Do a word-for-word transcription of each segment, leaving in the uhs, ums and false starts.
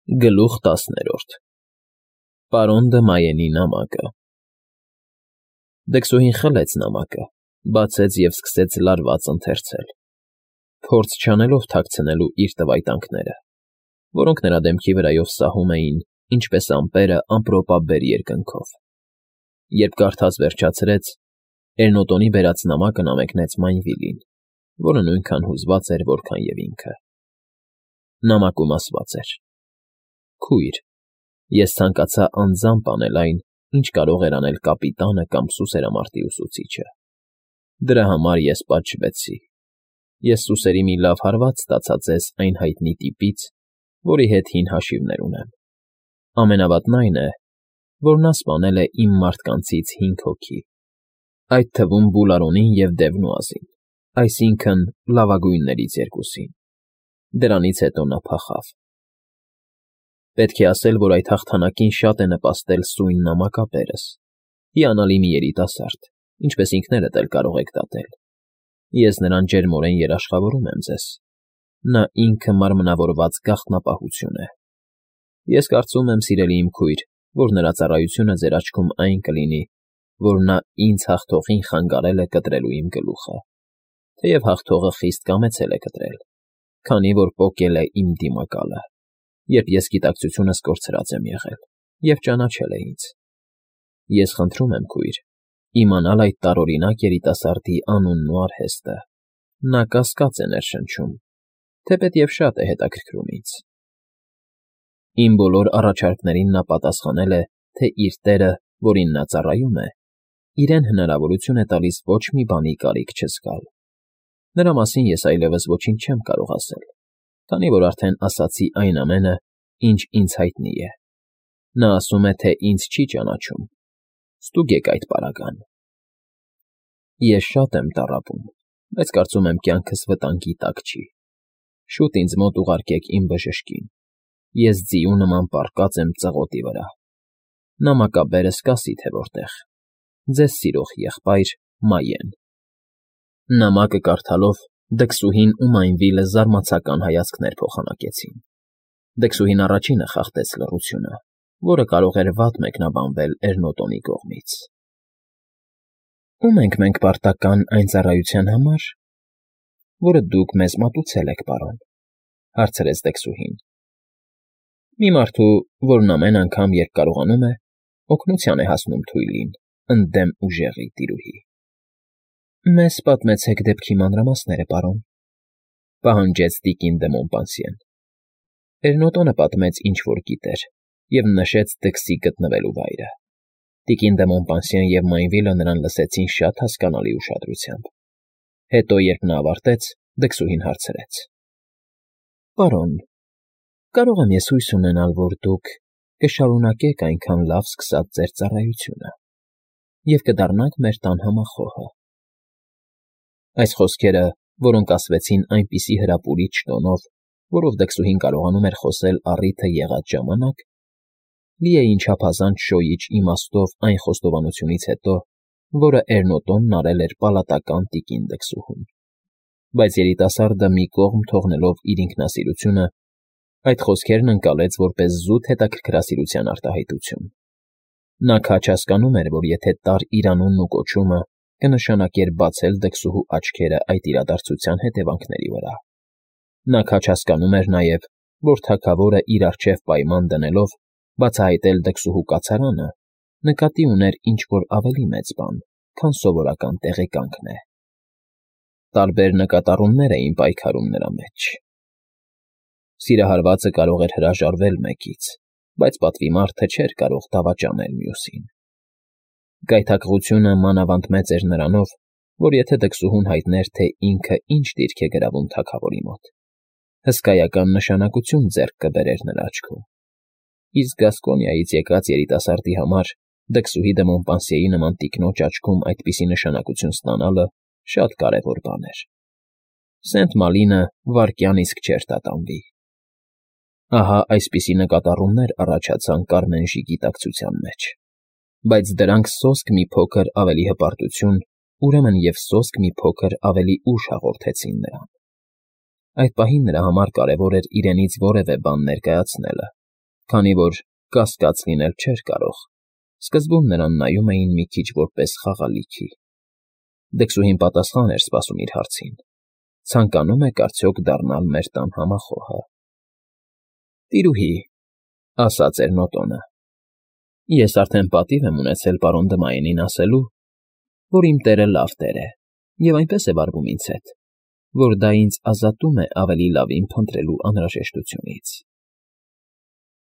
Գլուխ տասներորդ Պարոն Դմայենի նամակը Դքսուհին խլեց նամակը, բացեց և սկսեց լարված ընթերցել, փորձ չանելով թաքցնելու իր տվայտանքները, որոնք նրա դեմքի վրայով սահում էին, ինչպես ամպերը ամպրոպաբեր երկնքով. երբ կարդաց վերջացրեց, Էրնոտոնի բերած նամակն ամենեց Մայնվիլին, որը նույնքան հուզված էր, որքան և ինքը. նամակում ասված էր. Քույր, ես ցանկացա անձամբ անել այն, ինչ կարող էր անել կապիտանը կամ սուսերամարտի ուսուցիչը. դրա համար ես պատժվեցի, ես սուսերի մի լավ հարված ստացա ձեզ այն հայտնի տիպից, որի հետ հին հաշիվներ ունեմ, ամենավատն այն է, որ նա սպանել է իմ մարդկանցից հինգ հոգի, այդ թվում Բուլարոնին և Դևնուազին, այսինքն՝ լավագույններից երկուսին, դրանից հետո նա փախավ. Պետք է ասել, որ այդ հաղթանակին շատ է նպաստել սույն նամակապերս, հիանալի մի երիտասարդ, ինչպես ինքներդ էլ կարող եք դատել, ես նրան ջերմորեն երաշխավորում եմ ձեզ, նա ինքը մարմնավորված գաղտնապահություն է, ես կարծում եմ, սիրելի իմ քույր, որ նրա ծառայությունը ձեր աչքում այն կլինի, որ նա ինձ հաղթողին խանգարել է կտրելու իմ գլուխը, թեև հաղթողը խիստ կամեցել է կտրել, քանի որ պոկել է իմ դիմակալը, երբ ես գիտակցությունս կորցրած եմ եղել և ճանաչել է ինձ. ես խնդրում եմ, քույր, իմանալ այդ տարօրինակ երիտասարդի անունն ու արհեստը, նա կասկած է ներշնչում, թեպետև շատ է հետաքրքրում ինձ. Իմ բոլոր առաջարկներին նա պատասխանել է, թե իր տերը, որին նա ծառայում է, իրեն հնարավորություն է տալիս ոչ մի բանի կարիք չզգալ, նրա մասին ես այլևս ոչինչ չեմ կարող ասել, քանի որ արդեն ասացի այն ամենը, ինչ ինձ հայտնի է, նա ասում է, թե ինձ չի ճանաչում, ստուգեք այդ պարագան. Ես շատ եմ տառապում, բայց կարծում եմ կյանքս վտանգի տակ չի, շուտ ինձ մոտ ուղարկեք իմ բժշկին, ես ձիու նման պառկած եմ ծղոտի վրա, նամակաբերս կասի թե որտեղ, ձեզ սիրող եղբայր Մայեն։ Նամակը կարդալով Դքսուհին ու Մայնվիլը զարմացական հայացքներ փոխանակեցին, Դքսուհին առաջինը խախտեց լռությունը, որը կարող էր վատ մեկնաբանվել Էրնոտոնի կողմից։ Ո՞ւմ ենք մենք պարտական այն ծառայության համար, որը դուք մեզ մատուցել եք, պարոն, հարցրեց Դքսուհին։ Մի մարդու, որն ամեն անգամ, երբ կարողանում է, օգնության է հասնում թույլին, ընդդեմ ուժեղի տիրուհի։ Մեզ պատմեցեք դեպքի մանրամասները, պարոն, պահանջեց տիկին դը Մոմպանսիեն։ Էրնոտոնը պատմեց, ինչ որ գիտեր, և նշեց Դքսի գտնվելու վայրը։ Տիկին դը Մոմպանսիեն և Մայնվիլը նրան լսեցին շատ հասկանալի ուշադրությամբ։ Հետո, երբ նա ավարտեց, Դքսուհին հարցրեց. Պարոն, կարող եմ ես հույս ունենալ, որ դուք կշարունակեք այնքան լավ սկսած ձեր ծառայությունը և կդառնաք մեր տան համախոհը։ Այս խոսքերը, որոնք ասվեցին այնպիսի հրապուրիչ տոնով, որով Դքսուհին կարողանում էր խոսել առիթը եղած ժամանակ, լի էին չափազանց շոյիչ իմաստով այն խոստովանությունից հետո, որը Էրնոտոնն արել էր պալատական տիկին Դքսուհուն, բայց երիտասարդը մի կողմ թողնելով իր ինքնասիրությունը, այդ խոսքերն ընկալեց որպես զուտ հետաքրքրասիրության արտահայտություն։ Նա քաջ հասկանում էր, որ եթե տար իր անունն ու կոչումը կնշանակեր բացել Դքսուհու աչքերը այդ իրադարձության հետևանքների վրա։ Նա քաջ հասկանում էր նաև, որ թագավորը իր առջև պայման դնելով բացահայտել Դքսուհու կացարանը, նկատի ուներ ինչ-որ ավելի մեծ բան, քան սովորական տեղեկանքն է։ Տարբեր նկատառումներ էին պայքարում նրա մեջ։ Սիրահարվածը կարող էր հրաժարվել մեկից, բայց պատվի մարդը չէր կարող դավաճանել մյուսին։ Գայթակղությունը մանավանդ մեծ էր նրանով, որ եթե Դքսուհուն հայտներ, թե ինքը ինչ դիրք է գրավում թագավորի մոտ, հսկայական նշանակություն ձեռք կբերեր նրա աչքում։ Իսկ Գասկոնիայից եկած երիտասարդի համար Դքսուհի դը Մոմպանսիեի նման տիկնոջ աչքում այդպիսի նշանակություն ստանալը շատ կարևոր բան էր։ Սենտ֊Մալինը վայրկյան իսկ չէր տատանվի։ Ահա այսպիսի նկատառումներ առաջացան Կարմենժի գիտակցության մեջ, բայց դրանք սոսկ մի փոքր ավելի հպարտություն, ուրեմն և սոսկ մի փոքր ավելի ուժ հաղորդեցին նրան։ Այդ պահին նրա համար կարևոր էր իրենից որևէ բան ներկայացնելը, Քանի որ կասկած լինել չէր կարող, սկզբում նրան նայում էին մի քիչ որպես խաղալիքի։ Դքսուհին պատասխան էր սպասում իր հարցին. ցանկանում եք արդյոք դառնալ մեր տան համախոհը։ Տիրուհի, ասաց Էրնոտոնը, ես արդեն պատիվ եմ ունեցել պարոն Դմայենին ասելու, որ իմ տերը լավ տեր է, և այնպես է վարվում ինձ հետ, որ դա ինձ ազատում է ավելի լավին փնտրելու անհրաժեշտությունից։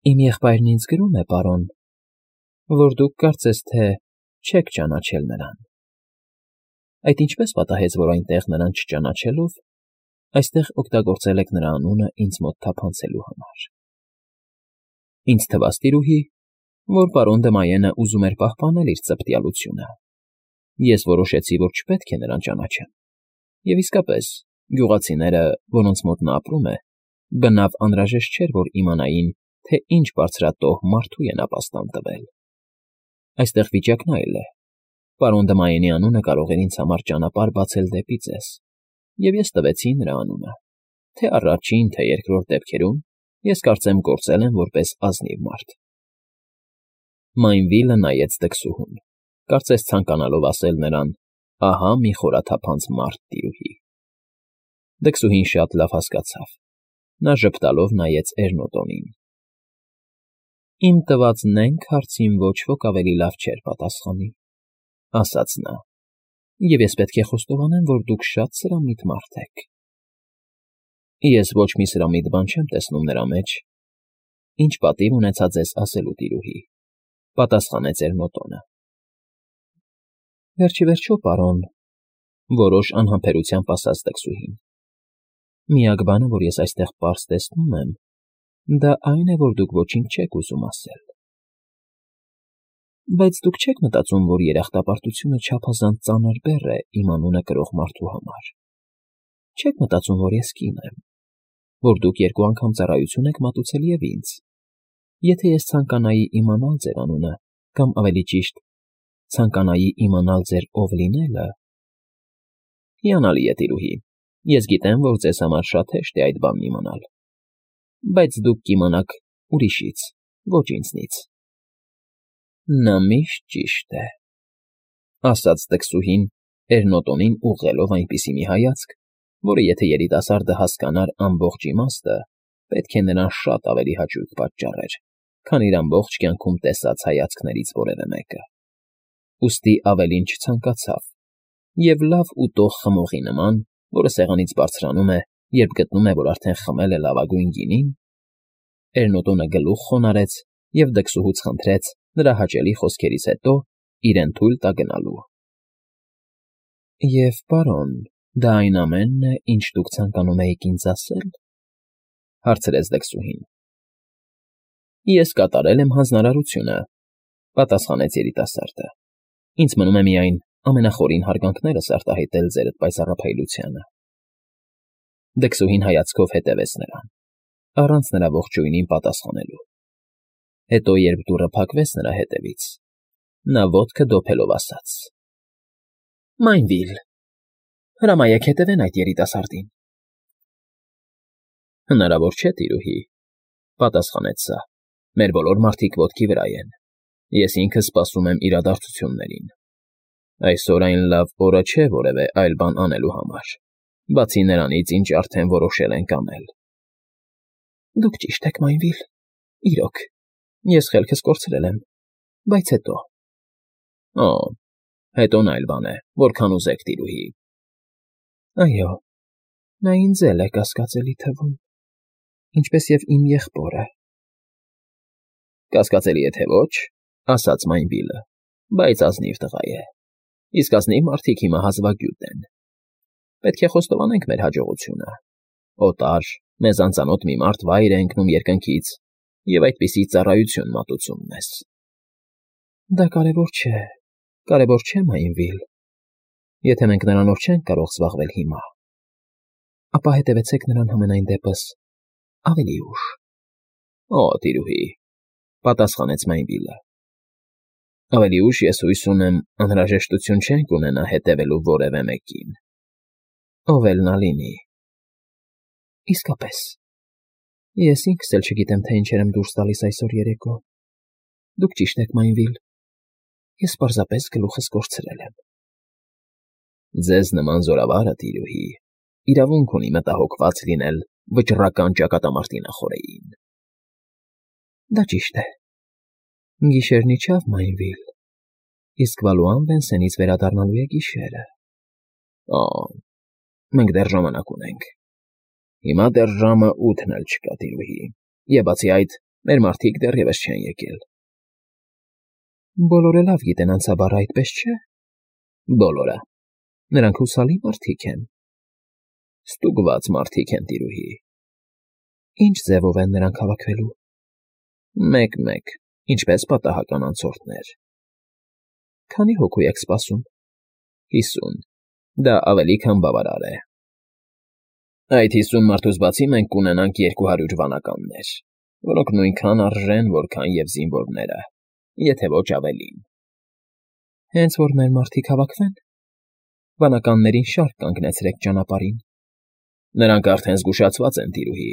Իմ եղբայրն ինձ գրում է, պարոն, որ դուք կարծես թե չեք ճանաչել նրան։ Այդ ինչպես պատահեց, որ այնտեղ նրան չճանաչելով, այստեղ օգտագործել եք նրա անունը ինձ մոտ թափանցելու համար։ Ինձ թվաց, տիրուհի, որ պարոն Դմայենը ուզում էր պահպանել իր ծպտյալությունը։ Ես որոշեցի, որ չպետք է նրան ճանաչեմ։ Եվ իսկապես, գյուղացիները, որոնց մոտ նա ապրում է, բնավ անհրաժեշտ չէր, որ իմանային, թե ինչ բարձրատոհ մարդու են ապաստան տվել։ Այստեղ վիճակն այլ է։ Պարոն Դմայենի անունը կարող էր ինձ համար ճանապարհ բացել դեպի ձեզ, և ես տվեցի նրա անունը, թե առաջին, թե երկրորդ դեպքերում ես կարծեմ գործել եմ որպես ազնիվ մարդ։ Մայնվիլը նայեց դքսուհուն, կարծես ցանկանալով ասել նրան. ահա մի խորաթափանց մարդ, տիրուհի։ Դքսուհին շատ լավ հասկացավ։ Նա ժպտալով նայեց Էրնոտոնին։ Իմ տված նենգ հարցին ոչ ոք ավելի լավ չէր պատասխանի, ասաց նա, և ես պետք է խոստովանեմ, որ դուք շատ սրամիտ մարդ եք։ Ես ոչ մի սրամիտ բան չեմ տեսնում նրա մեջ, ինչ պատիվ ունեցա ձեզ ասելու, տիրուհի, պատասխանեց Էրնոտոնը։ Վերջիվերջո, պարոն, որոշ անհամբերությամբ ասաց դքսուհին, միակ բանը, որ ես այստեղ պարզ տեսնում եմ, դա այն է, որ դուք ոչինչ չեք ուզում ասել։ Բայց դուք չեք մտածում, որ երախտապարտությունը չափազանց ծանր բեռ է իմ անունը կրող մարդու համար։ Չեք մտածում, որ ես կին եմ, որ դուք երկու անգամ ծառայություն եք մատուցել և ինձ։ Եթե ես ցանկանայի իմանալ ձեր անունը, կամ ավելի ճիշտ, ցանկանայի իմանալ ձեր ով լինելը… Հիանալի է, տիրուհի, ես գիտեմ, որ ձեզ համար շատ հեշտ է այդ բանն իմանալ, բայց դուք կիմանաք ուրիշից, ոչ ինձնից։ Նա միշտ ճիշտ է, ասաց դքսուհին Էրնոտոնին ուղղելով այնպիսի մի հայացք, որը եթե երիտասարդը հասկանար ամբողջ իմաստը, պետք է նրան շատ ավելի հաճույք պատճառեր, քան իր ամբողջ կյանքում տեսած հայացքներից որևէ մեկը։ Ուստի ավելին չցանկացավ, և լավ ուտող խմողի նման, որը սեղանից բարձրանում է, երբ գտնում է, որ արդեն խմել է լավագույն գինին, Էրնոտոնը գլուխ խոնարհեց և դքսուհուց խնդրեց նրա հաճելի խոսքերից հետո իրեն թույլ տա գնալու։ Եվ, պարոն, դա այն ամենն է, ինչ դուք ցանկանում էիք ինձ ասել, հարցրեց դքսուհին։ Ես կատարել եմ հանձնարարությունը, պատասխանեց երիտասարդը։ Ինձ մնում է միայն ամենախորին հարգանքներս արտահայտել ձերդ պայծառափայլությանը։ Դքսուհին հայացքով հետևեց նրան, առանց նրա ողջույնին պատասխանելու։ Հետո, երբ դուռը փակվեց նրա հետևից, նա ոտքը դոփելով ասաց. Մայնվիլ, հրամայեք հետևեն այդ երիտասարդին։ Հնարավոր չէ, տիրուհի, պատասխանեց սա, մեր բոլոր մարդիկ ոտքի վրա են, ես ինքս սպասում եմ իրադարձություններին։ Այսօր այն լավ օրը չէ որևէ այլ բան անելու համար, բացի նրանից, ինչ արդեն որոշել ենք անել։ Դուք ճիշտ եք, Մայնվիլ, իրոք, ես խելքս կորցրել եմ, բայց հետո… Օ, հետոն այլ բան է, որքան ուզեք, տիրուհի։ Այո, նա ինձ էլ է կասկածելի թվում, ինչպես և իմ եղբորը։ Կասկածելի է, թե ոչ, ասաց Մայնվիլը, բայց ազնիվ տղա է, իսկ ազնիվ մարդիկ հիմա հազվագյուտ են։ Պետք է խոստովանենք մեր հաջողությունը։ Օտար, մեզ անծանոթ մի մարդ վայր է ընկնում երկնքից և այդպիսի ծառայություն մատուցում մեզ։ Դա կարևոր չէ, կարևոր չէ, Մայնվիլ։ Եթե մենք նրանով չենք կարող զբաղվել հիմա, ապա հետևեցեք նրան համենայն դեպս ավելի ուշ։ Օ, տիրուհի, պատասխանեց Մայնվիլը։ Ավելի ուշ ես հույս ունեմ անհրաժեշտություն չենք ունենա հետևելու որևէ մեկին։ Ով էլ նա լինի։ Իսկապես, Ես ինքս էլ չգիտեմ, թե ինչեր եմ դուրս տալիս այսօր երեկո։ Դուք ճիշտ եք, Մայնվիլ, ես պարզապես գլուխս կորցրել եմ։ Ձեզ նման զորավարը, տիրուհի, իրավունք ունի մտահոգված լինել վճռական ճակատամարտի նախօրեին։ Դա ճիշտ է։ Գիշերն իջավ, Մայնվիլ, իսկ Վալուան Վենսենից վերադառնալու է գիշերը։ Ա, մենք դեռ ժամանակ ունենք։ Հիմա դեռ ժամը ութն էլ չկա, տիրուհի, և բացի այդ, մեր մարդիկ դեռևս չեն եկել։ Բոլորը լավ գիտեն անցաբառը, այդպես չէ։ Բոլորը։ Նրանք հուսալի մարդիկ են։ Ստուգված մարդիկ են, տիրուհի։ Ինչ ձևով են նրանք հավաքվելու։ Մեկ֊մեկ, ինչպես պատահական անցորդներ։ Քանի հոգու եք սպասում։ Հիսուն։ Դա ավելի քան բավարար է։ Այդ հիսուն մարդուց բացի մենք կունենանք երկու հարյուր վանականներ, որոնք նույնքան արժեն, որքան և զինվորները, եթե ոչ ավելին։ Հենց որ մեր մարդիկ հավաքվեն, վանականներին շարք կանգնեցրեք ճանապարհին։ Նրանք արդեն զգուշացված են, տիրուհի,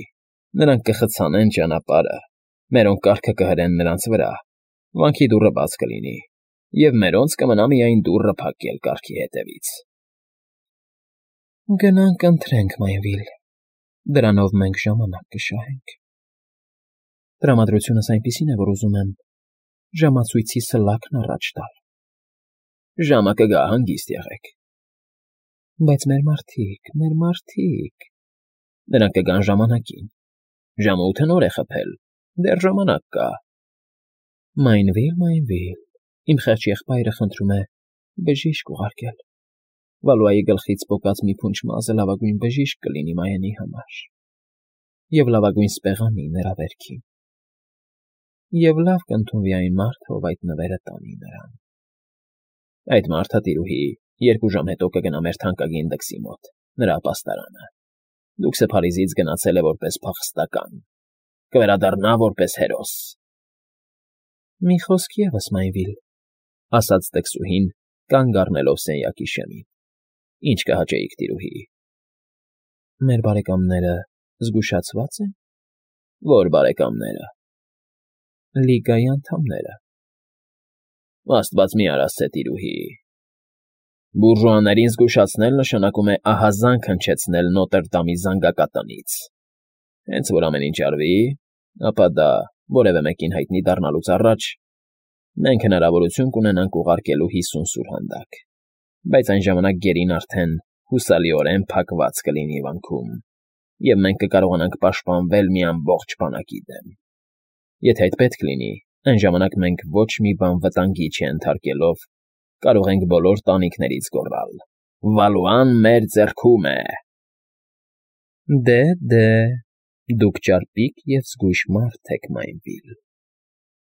նրանք կխցանեն ճանապարհը, մերոնք կառքը կհրեն նրանց վրա, վանքի դուռը բաց կլինի, և մերոնց կմնա միայն դուռը փակել կառքի հետևից։ Գնանք ընթրենք, Մայնվիլ, դրանով մենք ժամանակ կշահենք։ Տրամադրությունս այնպիսին է, որ ուզում եմ ժամացույցի սլաքն առաջ տալ։ Ժամը կգա, հանգիստ եղեք։ Բայց մեր մարդիկ, մեր մարդիկ… Նրանք կգան ժամանակին։ Ժամը ութը նոր է խփել, դեռ ժամանակ կա։ Մայնվիլ, Մայնվիլ, իմ խեղճ եղբայրը խնդրում է բժիշկ ուղարկել։ Վալուայի գլխից պոկած մի փունջ մազը լավագույն բժիշկ կլինի Մայենի համար, և լավագույն սպեղանի նրա վերքին, և լավ կընդունվի այն մարդը, ով այդ նվերը տանի նրան։ Այդ մարդը, տիրուհի, երկու ժամ հետո կգնա մեր թանկագին դքսի մոտ, նրա ապաստարանը։ Դուքսը Փարիզից գնացել է որպես փախստական, կվերադառնա որպես հերոս։ Մի խոսք ևս, Մայնվիլ, ասաց դքսուհին, կանգ առնելով սենյակի շեմին։ Ինչ կհաճեիք, տիրուհի։ Մեր բարեկամները զգուշացվա՞ծ են։ Ո՞ր բարեկամները։ Լիգայի անդամները։ Աստված մի արասցե, տիրուհի։ Բուրժուաներին զգուշացնել նշանակում է ահազանգ հնչեցնել Նոտրդամի զանգակատնից։ Հենց որ ամեն ինչ արվի, ապա դա որևէ մեկին հայտնի դառնալուց առաջ մենք հնարավորություն կունենանք ուղարկելու հիսուն սուրհանդակ, բայց այն ժամանակ գերին արդեն հուսալիորեն փակված կլինի վանքում, և մենք կկարողանանք պաշտպանվել մի ամբողջ բանակի դեմ։ Եթե այդ պետք լինի, այն ժամանակ մենք ոչ մի բան վտանգի չենթարկելով կարող ենք բոլոր տանիքներից գոռալ. Վալուան մեր ձեռքում է։ Դե, դե, դուք ճարպիկ և զգույշ մարդ եք, Մայնվիլ։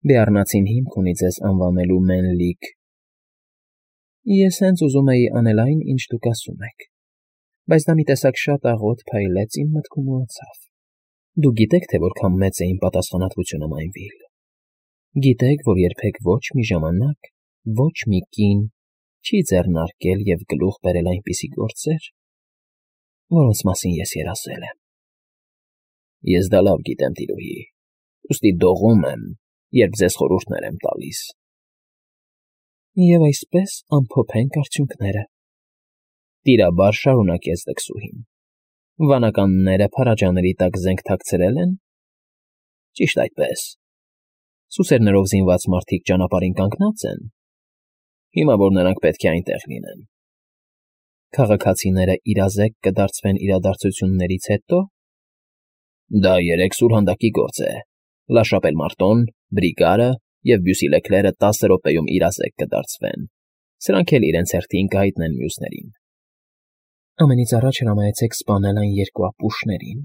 Բեառնացին հիմք ունի ձեզ անվանելու Մենլիկ։ Ես հենց ուզում էի անել այն, ինչ դուք ասում եք, բայց դա մի տեսակ շատ աղոտ փայլեց իմ մտքում ու անցավ։ Դուք գիտեք, թե որքան մեծ է իմ պատասխանատվությունը, Մայնվիլ։ Գիտեք, որ երբեք ոչ մի ժամանակ, ոչ մի կին չի ձեռնարկել և գլուխ բերել այնպիսի գործեր, որոնց մասին ես երազել եմ։ Ես դա լավ գիտեմ, տիրուհի, ուստի դողում եմ, երբ ձեզ խորհուրդներ եմ տալիս։ Եվ այսպես ամփոփենք արդյունքները։ Տիրաբար շարունակեց դքսուհին։ Վանականները փարաջաների տակ զենք թաքցրել են։ Ճիշտ այդպես։ Սուսերներով զինված մարդիկ ճանապարհին կանգնած են։ Հիմա որ նրանք պետք է այնտեղ լինեն։ Քաղաքացիները իրազեկ կդարձվեն իրադարձություններից հետո։ Դա երեք սուրհանդակի գործ է։ Լաշապել Մարտոն, Բրիգարը և Բյուսիլեքլերը տասը րոպեում իրազեկ կդարձվեն։ Սրանք էլ իրենց հերթին կհայտնեն մյուսներին։ Ամենից առաջ հրամայեցեք սպանել այն երկու ապուշներին,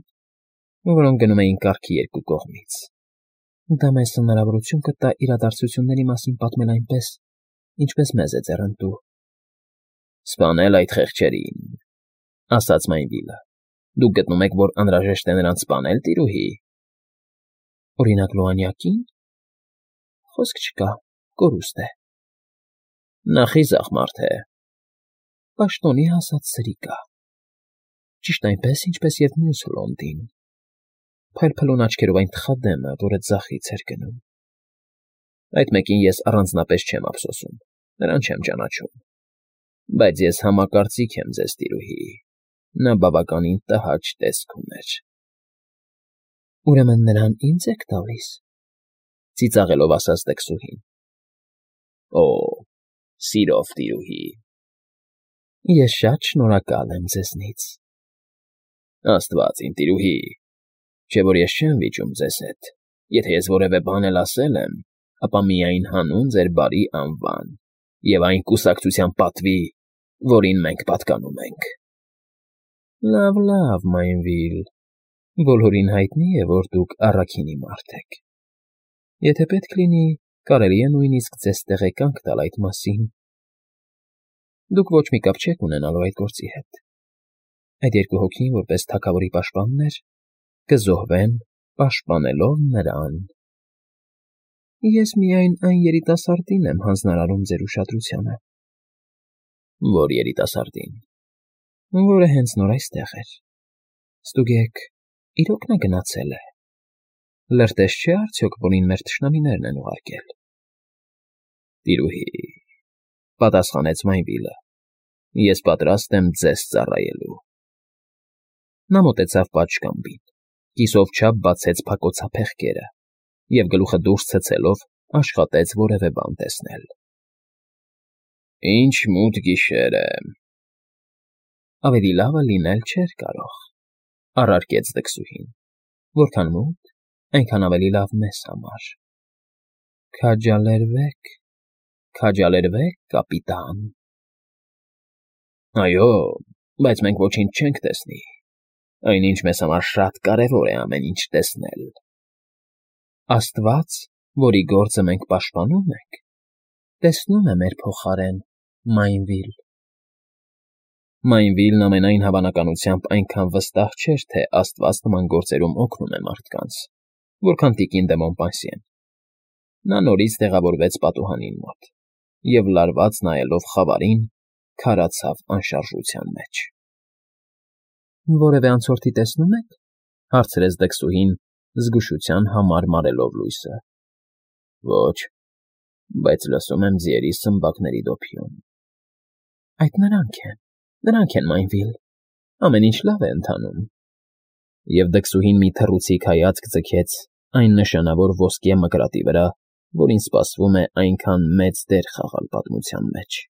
որոնք գնում էին կառքի երկու կողմից։ Դա մեզ հնարավորություն կտա իրադարձությունների մասին պատմել այնպես, ինչպես մեզ է ձեռնտու։ Սպանել այդ խեղճերին, ասաց Մայնվիլը։ Դուք գտնում եք, որ անհրաժեշտ է նրանց սպանել, տիրուհի։ Օրինակ Լուանյակի՞ն։ Խոսք չկա, կորուստ է։ Նա խիզախ մարդ է։ Պաշտոնի հասած սրիկա։ Ճիշտ այնպես, ինչպես և մյուս Լոնդին։ փայլփլուն աչքերով այն թխադեմը, որը ձախից էր գնում։ Այդ մեկին ես առանձնապես չեմ ափսոսում, նրան չեմ ճանաչում, բայց ես համակարծիք եմ ձեզ, տիրուհի, նա բավականին տհաճ տեսք ուներ։ Ուրեմն նրան ինձ եք տալիս, ծիծաղելով ասաց դքսուհին։ Օ, սիրով, տիրուհի։ Ես շատ շնորհակալ եմ ձեզնից։ Աստված իմ տիրուհի, չէ որ ես չեմ վիճում ձեզ հետ, եթե ես որևէ բան էլ ասել եմ, ապա միայն հանուն ձեր բարի անվան և այն կուսակցության պատվի, որին մենք պատկանում ենք։ Լավ, լավ, Մայնվիլ, բոլորին հայտնի է, որ դուք առաքինի մարդ եք։ Եթե պետք լինի, կարելի է նույնիսկ ձեզ տեղեկանք տալ այդ մասին։ Դուք ոչ մի կապ չեք ունենալու այդ գործի հետ։ Այդ երկու հոգին, որպես թագավորի պաշտպաններ, կզոհվեն, պաշտպանելով նրան։ Ես միայն այն երիտասարդին եմ հանձնարարում ձեր ուշադրությանը։ Որ երիտասարդին։ Որը հենց նոր այստեղ էր։ Ստուգեք, իրոք նա գնացել է։ Լրտես չէ արդյոք, որին մեր թշնամիներն են ուղարկել։ Տիրուհի, պատասխանեց Մայնվիլը, ես պատրաստ եմ ձեզ ծառայելու։ Նա մոտեցավ պատշգամբին, կիսով չափ բացեց փակոցափեղկերը և գլուխը դուրս ցցելով աշխատեց որևէ բան տեսնել։ Ինչ մութ գիշեր է։ Ավելի լավը լինել չէր կարող, առարկեց դքսուհին, որքան մութ, այնքան ավելի լավ մեզ համար։ Քաջալերվեք, քաջալերվեք, կապիտան։ Այո, բայց մենք ոչինչ չենք տեսնի, այնինչ մեզ համար շատ կարևոր է ամեն ինչ տեսնել։ Աստված, որի գործը մենք պաշտպանում ենք, տեսնում է մեր փոխարեն, Մայնվիլ։ Մայնվիլն ամենայն հավանականությամբ այնքան վստահ չէր, թե Աստված նման գործերում օգնում է մարդկանց, որքան տիկին դե Մոմպանսիեն։ Նա նորից տեղավորվեց պատուհանին մոտ և, լարված նայելով խավարին, քարացավ անշարժության մեջ։ Որևէ անցորդի տեսնո՞ւմ եք, հարցրեց դքսուհին, զգուշության համար մարելով լույսը։ Ոչ, բայց լսում եմ ձիերի սմբակների դոփյուն։ Այդ նրանք են, նրանք են, Մայնվիլ, ամեն ինչ լավ է ընթանում։ Եվ դքսուհին մի թռուցիկ հայացք ձգեց այն նշանավոր ոսկե մկրատի վրա, որին սպասվում է այնքան մեծ դեր խաղալ պատմության մեջ։